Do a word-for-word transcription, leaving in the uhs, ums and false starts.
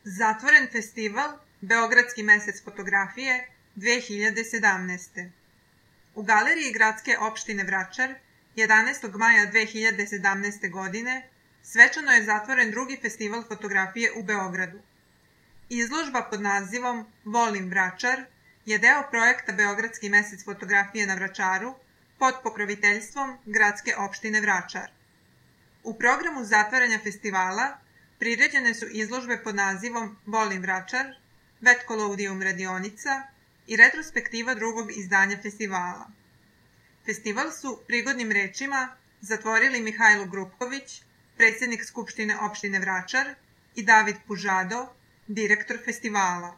Zatvoren festival Beogradski mesec fotografije dve hiljade sedamnaeste. U galeriji Gradske opštine Vračar jedanaestog maja dve hiljade sedamnaeste. godine svečano je zatvoren drugi festival fotografije u Beogradu. Izložba pod nazivom Volim Vračar je deo projekta Beogradski mesec fotografije na Vračaru pod pokroviteljstvom Gradske opštine Vračar. U programu zatvaranja festivala priređene su izložbe pod nazivom Volim Vračar, Vetkolodium radionica i retrospektiva drugog izdanja festivala. Festival su prigodnim rečima zatvorili Mihajlo Grupković, predsjednik Skupštine opštine Vračar, i David Pužado, direktor festivala.